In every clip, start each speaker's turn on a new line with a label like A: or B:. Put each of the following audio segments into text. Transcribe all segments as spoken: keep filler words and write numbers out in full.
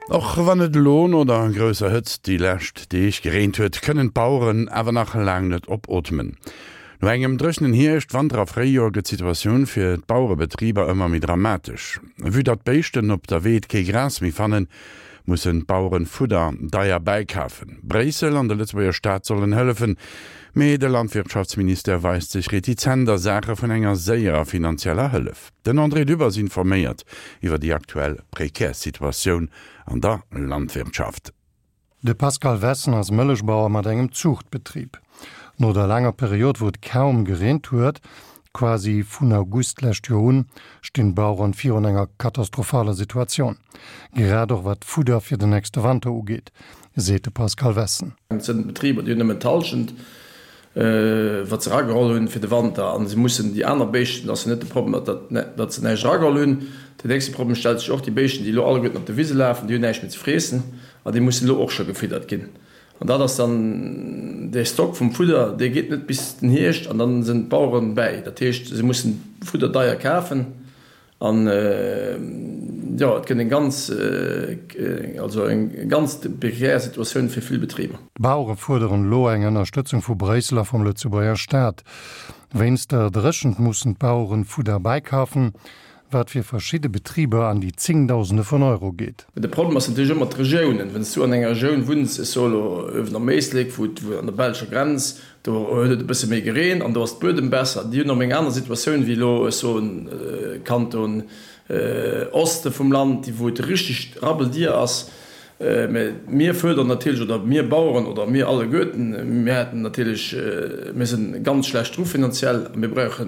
A: Och wann et elo no der grousser Hëtzt déi lescht Deeg gereent huet, kënnen d'Baueren awer nach laang net opootmen. No engem dréchenen Hierscht, Wanter a Fréijoer gëtt d'Situatioun fir d'Bauerebetriber ëmmer méi dramatesch. Vue datt d'Béischten op der Weed kee Gras méi fannen, mussen d'Baueren Fudder deier bäikafen. Bréissel an de Lëtzebuerger Staat sollen hëllefen, mee de Landwirtschaftsministère weist sech retizent a Saache vun enger séierer finanzieller Hëllef. Den André Dübbers informéiert iwwer déi aktuell prekär Situatioun an der Landwirtschaft.
B: De Pascal Wessen ass Mëllechbauer mat engem Zuuchtbetrib. No der laanger Period, wou et kaum gereent huet, quasi vun August d'lescht Joer un, stinn d'Baueren virun enger katastrophaler Situatioun, grad och wat d'Fudder fir den nächste Wanter ugeet, seet de Pascal Wessen.
C: Et sinn Betriber, déi hunn nëmmen d'Hallschent, wat se erageholl hunn fir de Wanter, a se mussen déi aner Béischten, ass jo net de Problem, datt se näischt erageholl hunn. Den nächste Problem stellt sech och, déi Béischten, déi elo alleguerten op de Wise lafen, déi hunn näischt méi ze friessen an déi mussen elo och scho gefiddert ginn. An dat ass dann dee Stock vum Fudder, dee geet net bis den Hierscht an dann sinn d'Baueren bäi. Dat heescht, se mussen Fudder deier kafen an, jo, et gëtt eng ganz, also eng ganz prekär Situatioun fir vill Betriber.
B: D'Bauere fuerderen elo eng Ënnerstëtzung vu Bréissel a vum Lëtzebuerger Staat. Wéinst der Dréchent mussen d'Baueren Fudder bäikafen. Wat fir verschidde Betriber an déi Zéngdausende vun Euro geet.
C: De Problem ass natierlech ëmmer d'Regiounen. Wann s du an enger Regioun wunns, ech soe elo uewen am Éislek, wou et an der belscher Grenz, do huet et e bësse méi gereent an do ass d'Buedem besser, déi hunn erëm eng aner Situatioun wéi elo, ech soen, Kanton Oste vum Land, déi wou et richteg rabbeldier ass. Mä mir fuerdern natierlech, oder mir Baueren oder mir alleguerten, mir hätten natierlech, mir si ganz schlecht dru finanziell a mir brauche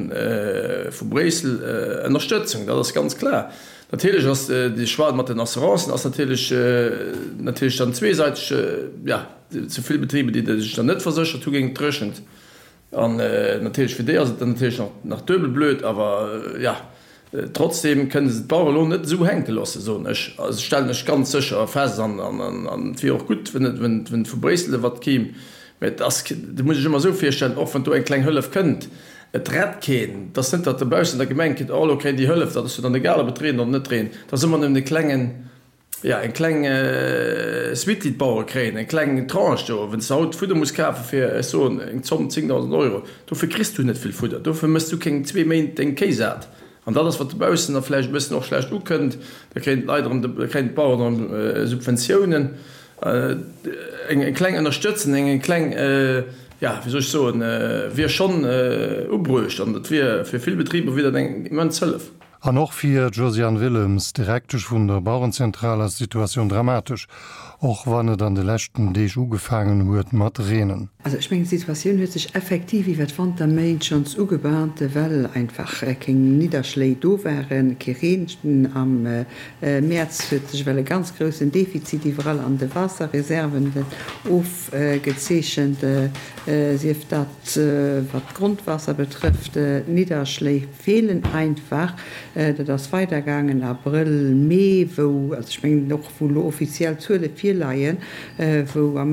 C: vu Bréissel Ënnerstëtzung, dat ass ganz klar. Natierlech ass dee Choix mat den Assurancen ass natierlech natierlech dann zweesäiteg, jo, zu vill Betriber, déi sech dann net verséchert hu géint d'Dréchent. An natierlech fir déi ass et dann natierlech nach nach duebel blöd, awer jo, trotzdem kënne se d'Bauere elo net esou hänke loossen, soen ech, also stellen ech ganz sécher fest. An an et wier och gutt, wenn et wenn vu Bréissel wat kéim. Mä et ass, dat muss ech ëmmer esou virstellen, och wann do eng kleng Hëllef kënnt, et rett keen. Et ass net, datt dobaussen der Gemeng kritt, oh elo kréien déi Hëllef, dat ass jo dann egal, ob et reent oder net reent. Et ass ëmmer nëmmen e klengen, Jo, eng kleng Suite, déi d'Bauere kréien, eng kleng Tranche do. Wann s de haut Fudder muss kafe fir, ech soen eng Zomm, zéngdausend Euro, dofir kriss du net vill Fudder. Dofir méchs du keng zwee Méint deng Kéi sat. An dat ass, wat dobaussen da vläicht e bëssen och schlecht ukënnt. Da kréien d'Leit erëm, da kréien d'Baueren erëm Subventiounen. Eng kleng Ënnerstëtzen, eng kleng, jo, wéi soll ech soen, wier schonn ubruecht. An dat wier fir vill Betriber wier dat eng immens Hëllef.
B: An och fir d'Josiane Willems, Direktesch vun der Bauerenzentral, ass d'Situatioun dramatesch, och wann et an de leschten Deeg ugefaangen huet mat reenen.
D: Also ech mengen, d'Situatioun huet sech effektiv iwwer d'Wanterméint schonns ugebahnt, well einfach keng Nidderschléi do waren, kee Reen. Am Mäerz huet sech ewell e ganz groussen Defizit iwwerall an de Waasserreserven ofgezeechent, sief dat wat d'Grondwaasser betrëfft. D'Nidderschléi feelen einfach. Dat ass weidergaangen Abrëll, Mee, wou, also ech mengen och wou elo offiziell Zuele virleien, wou a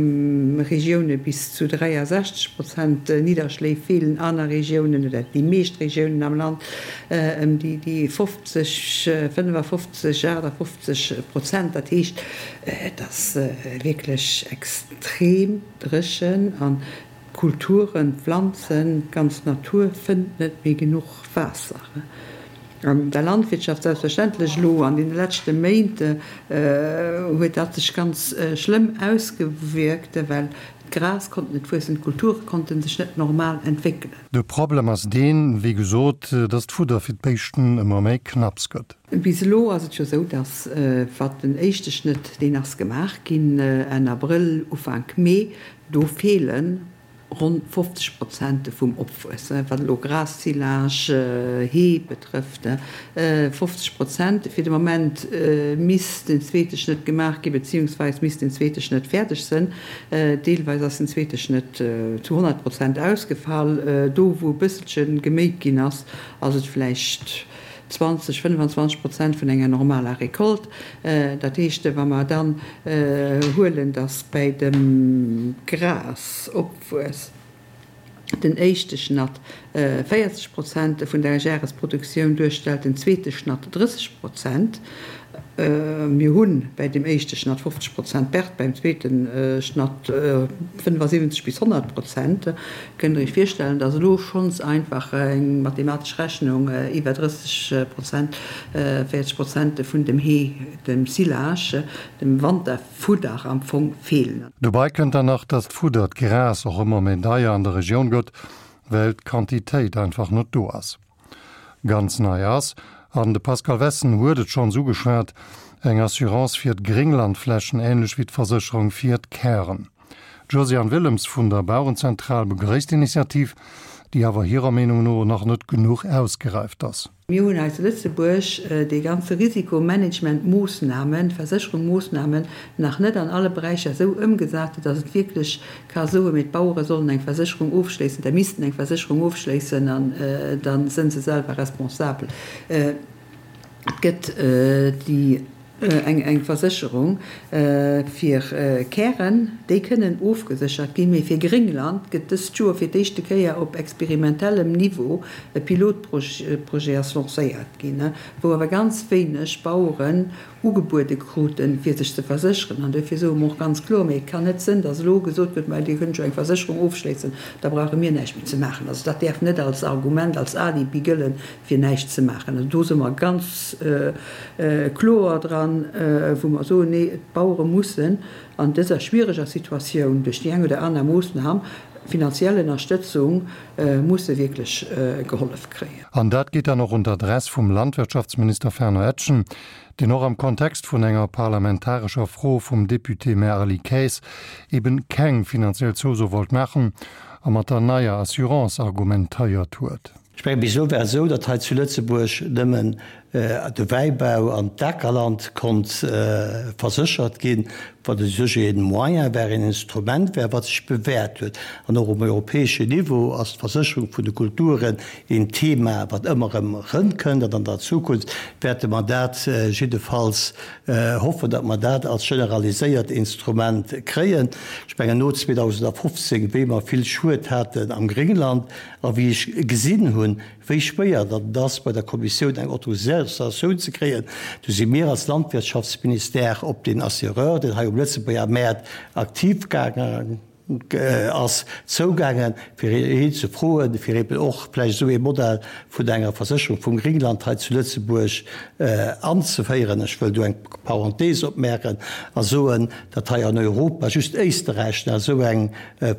D: Regioune bis zu dräiasechzeg Prozent Nidderschléi feelen, aner Regiounen oder déi meescht Regiounen am Land ëm déi fofzeg, fënnefafofzeg, aachtafofzeg Prozent. Dat heescht, et ass wierklech extrem dréchen an d'Kulturen, d'Pflanzen, d'ganz Natur fënnt net méi genuch Waasser. An der Landwirtschaft selbstverständlech. Elo an deene leschte Méint huet dat sech ganz schlëmm ausgewierkt, well d'Gras konnt net wuessen, d'Kulture konnte sech net normal entwéckelen.
B: De Problem ass deen, wéi gesot, dass d'Fudder fir d'Béischten ëmmer méi knapps gëtt.
D: Bis elo ass et jo esou, dass wat den éischte Schnëtt, deen ass gemaach ginn Enn Abrëll, Ufank Mee, do feelen ronn fofzeg Prozent vum Opwuess, wat elo Gras, Silage, Hee betrëfft, fofzeg Prozent. Fir de Moment misst den zweete Schnëtt gemaach ginn, beziehungsweis misst den zweete Schnëtt fäerdeg sënn. Deelweis ass den zweete Schnëtt zu honnert Prozent ausgefall. Do wou e bësselche geméit ginn ass, ass et vläicht zwanzeg, fënnefenzwanzeg Prozent vun enger normaler Récolte. Dat heescht, wa mer dann huelen, datt bäi dem Grasopwuess den éischte Schnatt véierzeg Prozent vun der Jaresproduktioun duerstellt, den zweete Schnatt drësseg Prozent, Mir hu bäi deem éischte Schnatt fofzeg Prozent Perte, beim zweete Schnatt fënnefasiwwenzeg bis honnert Prozent. Kënnt Der Iech virstellen, dass elo schonns einfach eng mathematesch Rechnung iwwer drësseg Prozent, véierzeg Prozent vun dem Hee, dem Silage, dem Wanterfudder am Fong feelen.
B: Dobäi kënnt dann nach, dass d'Fudder, d'Gras, och ëmmer méi deier an der Regioun gëtt, well d'Quantitéit einfach net do ass. Ganz nei ass, an de Pascal Wessen huet et schonns ugeschwat, eng Assurance fir d'Grénglandflächen, änlech wéi d'Versécherung fir d'Kären. D'Josiane Willems vun der Bauerenzentral begréisst d'Initiativ, déi awer hirer Meenung no nach net genuch ausgeräift ass.
D: Mir hunn hei zu Lëtzebuerg déi ganze Risikomanagement-Moossnamen, Versécherungmoossnamen nach net an alle Beräicher esou ëmgesat, datt et wierklech ka soen, mee d'Bauere sollen eng Versécherung ofschléissen, da missten eng Versécherung ofschléissen an da sënn se selwer responsabel. Et gëtt déi eng Versécherung fir Kären, déi kënnen ofgeséchert ginn, mee fir Gréngland gëtt dëst Joer fir d'éischte Kéier op experimentellem Niveau e Pilotprojet ass lancéiert ginn, wou awer ganz wéineg Baueren ugebuede kruten, fir sech ze versécheren. An duerfir soe mer och ganz kloer, mee et kann net sënn, datt elo gesot gëtt, Mä Dir kënnt jo eng Versécherung ofschléissen, da brauche mir näischt méi ze maachen. Also dat däerf net als Argument, als Alibi gëllen, fir näischt ze maachen. Also do si mer ganz kloer dran, wou mer soen, Nee, d'Bauere mussen an dëser schwiereger Situatioun duerch déi eng oder aner Moossnam, finanziell Ënnerstëtzung, musse wierklech gehollef kréien.
B: An dat geet dann och un d'Adress vum Landwirtschaftsminister Fernand Etgen, deen och am Kontext vun enger parlamentarescher Fro vum Député-Maire Aly Kaes eben keng finanziell Zouso wollt maachen a mat der neier Assurance argumentéiert huet.
E: Ech mengen, bis elo war et esou, datt hei zu Lëtzebuerg nëmmen de Wäibau an d'Akerland konnt verséchert ginn, wat u sech e Moyen war, een Instrument war, wat sech bewährt huet. An och um europäeschen Niveau ass d'Versécherung vun de Kulturen een Thema, wat ëmmer erëm erëmkënnt. An an der Zukunft wäerte mer dat jiddefalls hoffen, datt mer dat als generaliséiert Instrument kréien. Ech mengen, no zweedausendfofzéng, wéi mer vill Schued haten am Gréngland, A wéi ech gesinn hunn, wéi schwéier datt et ass, bei der Kommissioun eng Autorisatioun ze kréien, du si mir als Landwirtschaftsministère op deen Assureur, deen hei um Lëtzebuerger Mäert aktiv gaangen ass, zougaangen, fir hien ze froen, fir eben och vläicht esou ee Modell vun enger Versécherung vum Gringland hei zu Lëtzebuerg anzeféieren. Ech wëll do eng Parenthese opmaachen a soen, datt hei an Europa just Éisterräich nach esou eng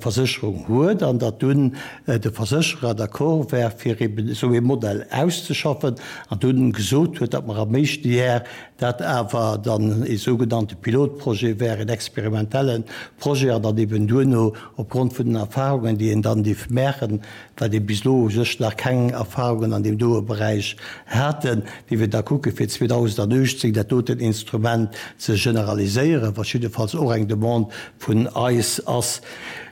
E: Versécherung huet an datt dunn de Versécherer d'accord war, fir eben esou ee Modell auszeschaffen an dunn gesot huet, datt mer am éischte Jar dat awer dann ee sougenannte Pilotprojet wär, en experimentelle Projet, an dann eben duerno opgrond vun den Erfahrungen, déi een dann dierf maachen, well ee bis elo u sech nach keng Erfahrungen an deem doe Beräich haten, déi wir da kucke fir zweedausendachtzehn dat doten Instrument ze generaliséieren, wat jiddefalls och eng Demande vun eis ass.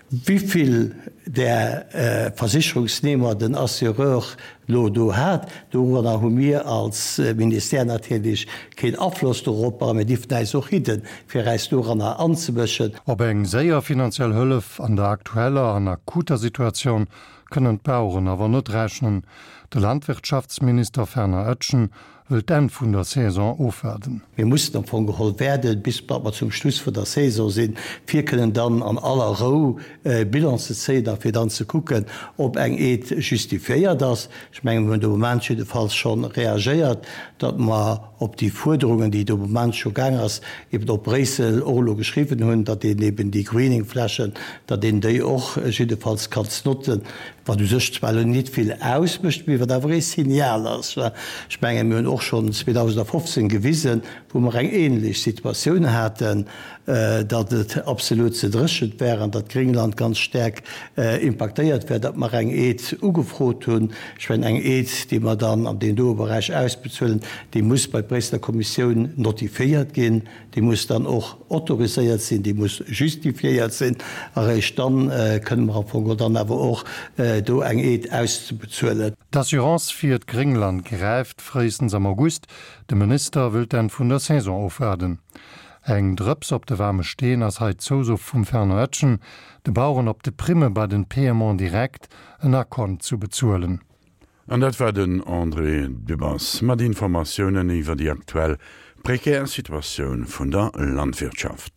E: Wivill där Versicherungsnehmer den Assureur elo do hat, doranner hu mir als Ministère natierlech keen Afloss dorop a mir dierfen äis och hidden, fir äis doranner anzemëschen.
B: Op eng séier finanziell Hëllef an der aktueller an akuter Situatioun kënnen d'Baueren awer net rechnen. De Landwirtschaftsminister Fernand Etgen wëll d'Enn vun der Saison ofwaarden.
E: Mir mussen am Fong geholl waarden, bis datt mer zum Schluss vun der Saison sinn, fir kënnen dann an aller Rou Bilan ze zéien a fir dann ze kucken, ob eng Aide justifiéiert ass. Ech mengen, mir hunn de Moment jiddefalls scho reagéiert, datt mer op déi Fuerderungen, déi de Moment scho gaang ass, eben op Bréissel och elo geschriwwen hunn, datt een eben déi Greening-Flächen, datt een déi och jiddefalls kann notzen, wat u sech zwar elo nit vill ausmécht, mee wat awer ee Signal ass. Ech mengen, mir hunn och schonn zweedausendfofzéng gewisen, wou mer eng ähnlech Situatioun haten, datt et absolut ze dréchent war an datt Gréngland ganz staark impaktéiert war, datt mer eng Aide ugefrot hunn. Ech mengen, eng Aide, déi mer dann an deem doe Beräich ausbezuelen, déi muss bei d'Bréisseler Kommissioun notifiéiert ginn, déi muss dann och autoriséiert sinn, déi muss justifiéiert sinn, a réischt dann kënne mer am Fong geholl dann awer och do eng Aide auszebezuelen.
B: D'Assurance fir d'Gréngland gräift fréistens am August. De Minister wëll d'Enn vun der Saison ofwaarden. Eng Drëps op de waarme Steen ass hei d'Zouso vum Fernand Etgen, de Baueren op de Primme bei den Paiements directs en Akkont zu bezuelen.
A: An dat war den André Dübbers mat Informatiounen iwwer déi aktuell Prekär Situatioun vun der Landwirtschaft.